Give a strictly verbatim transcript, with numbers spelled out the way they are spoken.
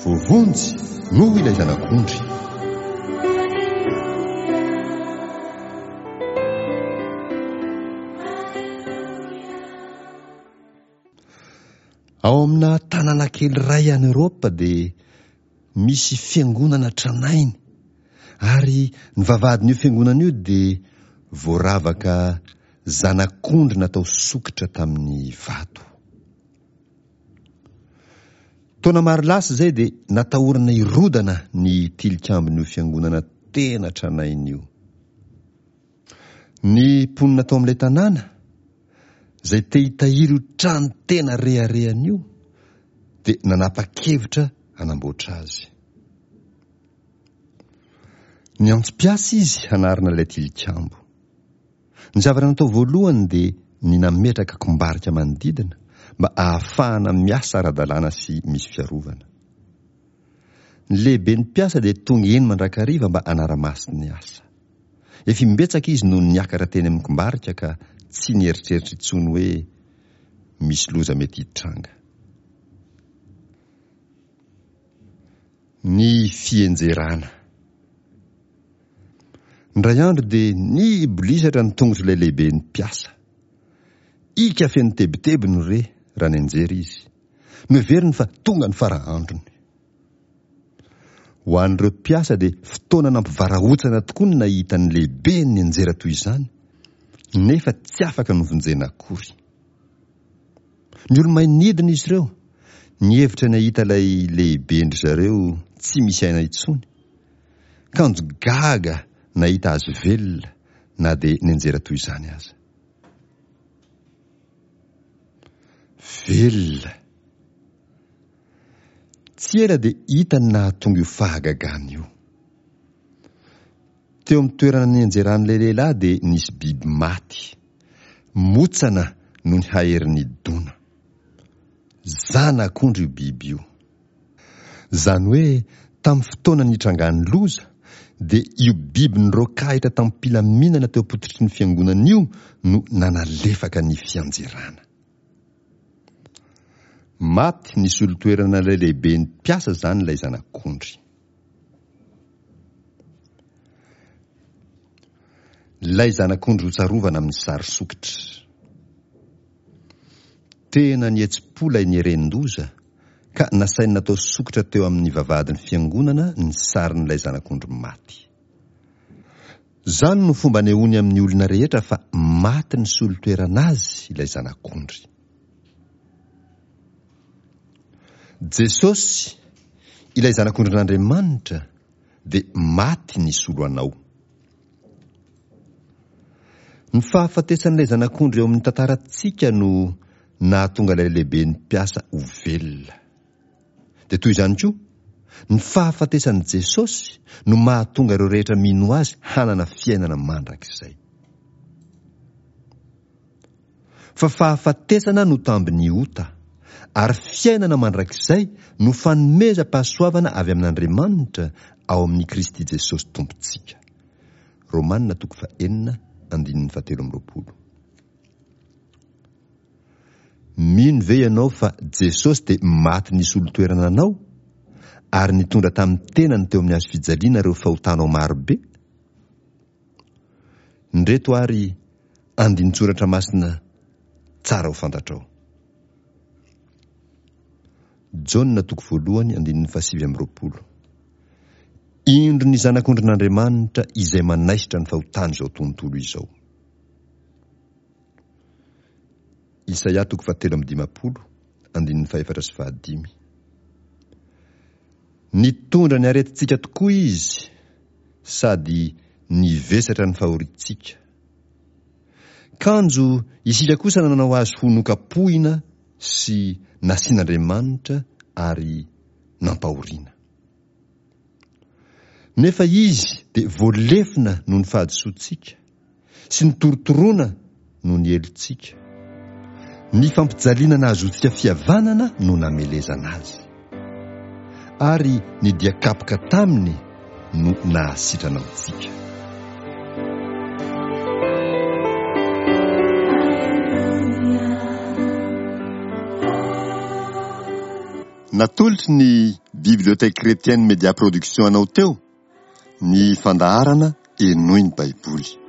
Voavonjy noho ilay Zanak'ondry. Ao amina tanàna kely iray any Eoropa dia misy fiangonana tranainy, ary ny vavahadin'io fiangonana io dia voaravaka zanak'ondry natao sokitra tamin'ny vato. Taona maro lasa izay dia natahorana hirodana ny tilikambon'io fiangonana tena tranainy io. Ny mponina tao amin'ilay tanàna izay te hitahiry io trano tena reharehana io dia nanapa-kevitra hanamboatra azy. Niantso mpiasa izy hanarina ilay tilikambo. Ny zavatra natao voalohany dia ny nametraka kombarika manodidina mba ahafahana miasa ara-dalàna sy misy fiarovana. Ny lehiben'ny mpiasa dia tonga eny mandrakariva mba hanara-maso ny asa. Efa imbetsaka izy no niakatra teny amin'ny kombarika ka tsy nieritreritra intsony hoe misy loza mety hitranga. Ny fienjerana. Indray andro dia nibolisatra ny tongotr'ilay lehiben'ny mpiasa. Ika feno tebiteby no re raha nianjera izy. Noheveriny fa tonga ny fara androny. Ho an'ireo mpiasa dia fotoana nampivarahontsana tokoa ny nahita ny lehibeny nianjera toy izany, nefa tsy afaka novonjena akory. Ny olo-may nidina izy ireo, nihevitra ny hahita ilay lehiben-dry zareo tsy misy aina intsony. Kanjo gaga nahita azy velona na dia nianjera toy izany aza. Velona. Tsy ela dia hita ny nahatonga io fahagagana io. Teo amin'ny toerana nianjeran'ilay lehilahy dia nisy biby maty, motsana noho ny haherin'ny dona. Zanak'ondry io biby io. Izany hoe tamin'ny fotoana nitrangan'ny loza dia io biby niroakahitra tamim-pilaminana teo am-pototry ny fiangonana io no nanalefaka ny fianjerana. Maty nisolo toerana ilay lehiben'ny mpiasa izany ilay zanak'ondry. Ilay zanak'ondry hotsarovana amin'ny sary sokitra. Tena nihetsi-po ilay nieren-doza ka nasainy natao sokitra teo amin'ny vavahadin'ny fiangonana ny sarin'ilay zanak'ondry maty. Izany no fomba anehoany amin'ny olona rehetra fa maty nisolo toerana azy ilay zanak'ondry. Jesosy, ilay zanak'ondrin'Andriamanitra, dia maty nisolo anao. Ny fahafatesan'ilay zanak'ondry eo amin'ny tantarantsika no nahatonga ilay lehiben'ny mpiasa ho velona. Dia toy izany koa, ny fahafatesan'i Jesosy no mahatonga ireo rehetra mino azy hanana fiainana mandrakizay. Fa fahafatesana no tambin'ny ota, ary fiainana mandrakizay no fanomezam-pahasoavana avy amin'Andriamanitra ao amin'i Kristy Jesosy Tompontsika. Romanina toko fahenina andininy fahatelo amby roapolo. Mino ve ianao fa Jesosy dia maty nisolo toerana anao ary nitondra tamin'ny tenany teo amin'ny hazo fijaliana ireo fahotanao marobe? Indreto ary andinin-tsoratra masina tsara ho fantatrao. Jaona toko voalohany andininy fahasivy amby roapolo. Indro ny zanak'ondrin'Andriamanitra izay manaisotra ny fahotan'izao tontolo izao. Isaia toko fahatelo amby dimampolo andininy fahefatra sy fahadimy. Nitondra ny aretintsika tokoa izy sady nivesatra ny fahoriantsika. Kanjo isika kosa nanao azy ho nokapohina sy nasian'Andriamanitra ary nampahoriana. Nefa izy dia voalefona noho ny fahadisoantsika sy notorotoroana noho ny helotsika. Ny fampijaliana nahazoantsika fihavanana no namelezana azy. Ary ny dia kapoka taminy no nahasitrana antsika. Natolotry ny Bibliothèque Chrétienne Média Production anao teo ny fandaharana Henoy ny Baiboly.